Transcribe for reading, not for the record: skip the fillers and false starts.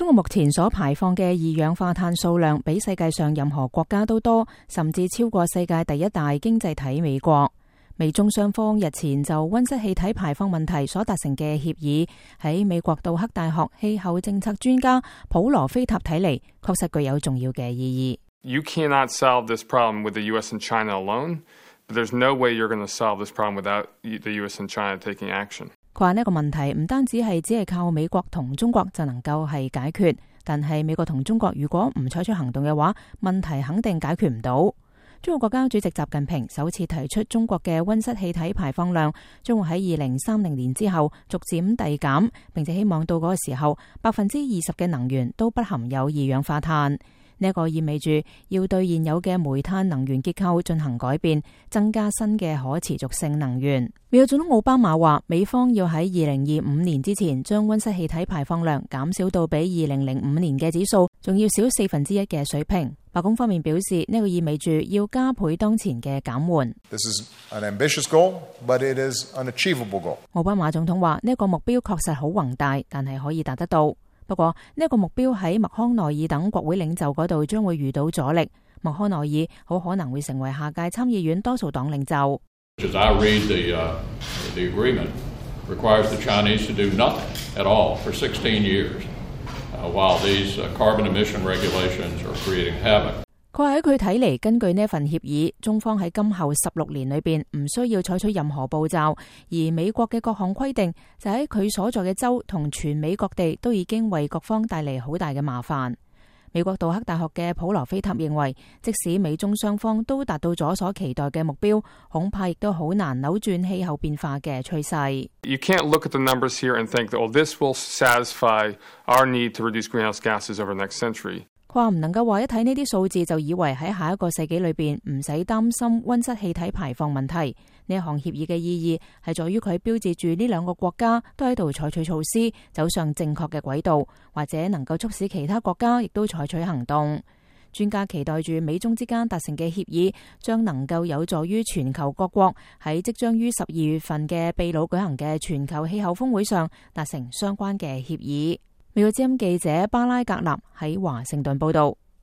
中國目前所排放嘅二氧化碳數量比世界上任何國家都多，甚至超過世界第一大經濟體美國。美中雙方日前就溫室氣體排放問題所達成嘅協議，喺美國杜克大學氣候政策專家普羅菲塔睇嚟，確實具有重要嘅意義。You cannot solve this problem with the U.S. and China alone, but there's no way you're going to solve this problem without the U.S. and China taking action. 佢話呢個問題唔單止係靠美國同中國就能夠係解決，但係美國同中國如果唔採取行動嘅話，問題肯定解決唔到。中國國家主席習近平首次提出中國嘅溫室氣體排放量將會喺2030年之後逐漸遞減，並且希望到嗰個時候20%嘅能源都不含有二氧化碳。呢個意味住要對現有嘅煤炭能源結構進行改變，增加新嘅可持續性能源。美國總統奧巴馬話，美方要喺2025年之前將溫室氣體排放量減少到比2005年嘅指數仲要少1/4嘅水平。白宮方面表示，呢個意味住要加倍當前嘅減緩。This is an ambitious goal, but it is an achievable goal. 奧巴馬總統話，呢個目標確實好宏大，但係可以達得到。不過呢個目標喺麥康奈爾等國會領袖嗰度將會遇到阻力。麥康奈爾好可能會成為下屆參議院多數黨領袖。As I read the agreement requires the Chinese to do nothing at all for 16 years, while these carbon emission regulations are creating havoc. 佢話喺佢睇嚟，根據呢份協議，中方喺今後16年裏邊唔需要採取任何步驟，而美國嘅各項規定就喺佢所在嘅州同全美各地都已經為各方帶嚟好大嘅麻煩。美國杜克大學嘅普羅菲塔認為，即使美中雙方都達到咗所期待嘅目標，恐怕亦都好難扭轉氣候變化嘅趨勢。You can't look at the numbers here and think that, well, this will satisfy our need to reduce greenhouse gases over the next century. 佢話唔能夠話一睇呢啲數字就以為喺下一個世紀裏邊唔使擔心溫室氣體排放問題。呢一項協議嘅意義係在於佢標誌住呢兩個國家都喺度採取措施，走上正確嘅軌道，或者能夠促使其他國家亦都採取行動。專家期待住美中之間達成嘅協議將能夠有助於全球各國喺即將於12月份嘅秘魯舉行嘅全球氣候峰會上達成相關嘅協議。美國之音記者巴拉格納喺華盛頓報道。